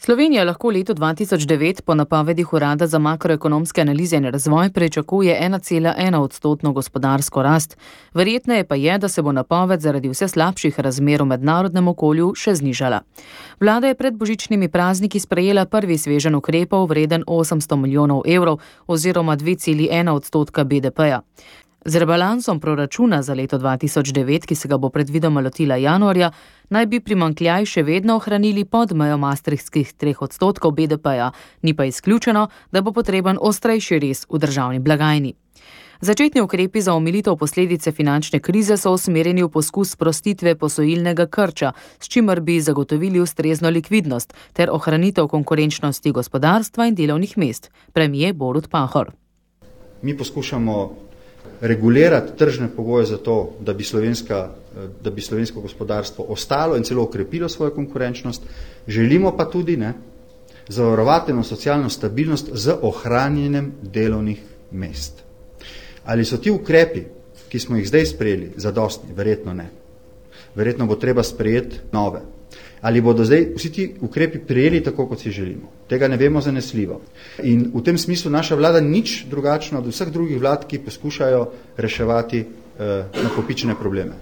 Slovenija lahko leto 2009 po napovedih Urada za makroekonomske analize in razvoj pričakuje 1,1% gospodarsko rast. Verjetneje pa je, da se bo napoved zaradi vse slabših razmer v mednarodnem okolju še znižala. Vlada je pred božičnimi prazniki sprejela prvi sveženj ukrepov vreden 800 milijonov evrov oziroma 2,1% BDP-ja. Z rebalansom proračuna za leto 2009, ki se ga bo predvidoma lotila januarja, naj bi primanjkljaj še vedno ohranili pod mejo maastrichtskih 3% BDP-ja, ni pa izključeno, da bo potreben ostrejši rez v državni blagajni. Začetni ukrepi za omilitev posledice finančne krize so usmerjeni v poskus sprostitve posojilnega krča, s čimer bi zagotovili ustrezno likvidnost ter ohranitev konkurenčnosti gospodarstva in delovnih mest. Premier Borut Pahor. Mi poskušamo regulirati tržne pogoje za to, da bi slovensko gospodarstvo ostalo in celo okrepilo svojo konkurenčnost. Želimo pa tudi zavarovati socialno stabilnost z ohranjenjem delovnih mest. Ali so ti ukrepi, ki smo jih zdaj sprejeli, zadostni? Verjetno ne. Verjetno bo treba sprejeti nove. Ali bodo zdaj vsi ti ukrepi prijeli tako, kot si želimo? Tega ne vemo zanesljivo. In v tem smislu naša vlada nič drugačna od vseh drugih vlad, ki poskušajo reševati nakopičene probleme.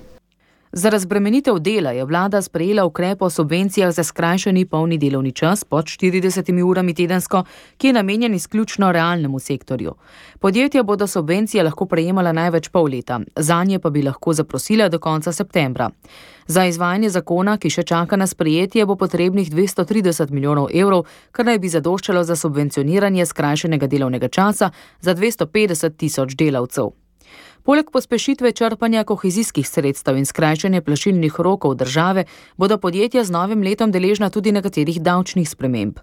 Za razbremenitev dela je vlada sprejela ukrep o subvencijah za skrajšani polni delovni čas pod 40 urami tedensko, ki je namenjen izključno realnemu sektorju. Podjetja bodo subvencije lahko prejemala največ pol leta, zanje pa bi lahko zaprosila do konca septembra. Za izvajanje zakona, ki še čaka na sprejetje, bo potrebnih 230 milijonov evrov, kar naj bi zadoščalo za subvencioniranje skrajšanega delovnega časa za 250 tisoč delavcev. Poleg pospešitve črpanja kohezijskih sredstev in skrajšanja plačilnih rokov države bodo podjetja z novim letom deležna tudi nekaterih davčnih sprememb.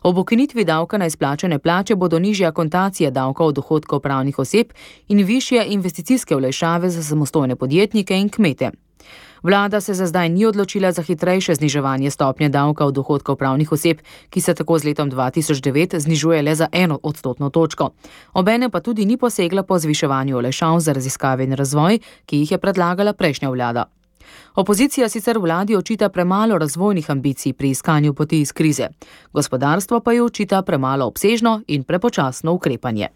Ob ukinitvi davka na izplačane plače bodo nižja akontacija davka od dohodkov pravnih oseb in višje investicijske olajšave za samostojne podjetnike in kmete. Vlada se za zdaj ni odločila za hitrejše zniževanje stopnje davka od dohodkov pravnih oseb, ki se tako z letom 2009 znižuje le za 1% točko. Obenem pa tudi ni posegla po zviševanju olajšav za raziskave in razvoj, ki jih je predlagala prejšnja vlada. Opozicija sicer vladi očita premalo razvojnih ambicij pri iskanju poti iz krize. Gospodarstvo pa jo očita premalo obsežno in prepočasno ukrepanje.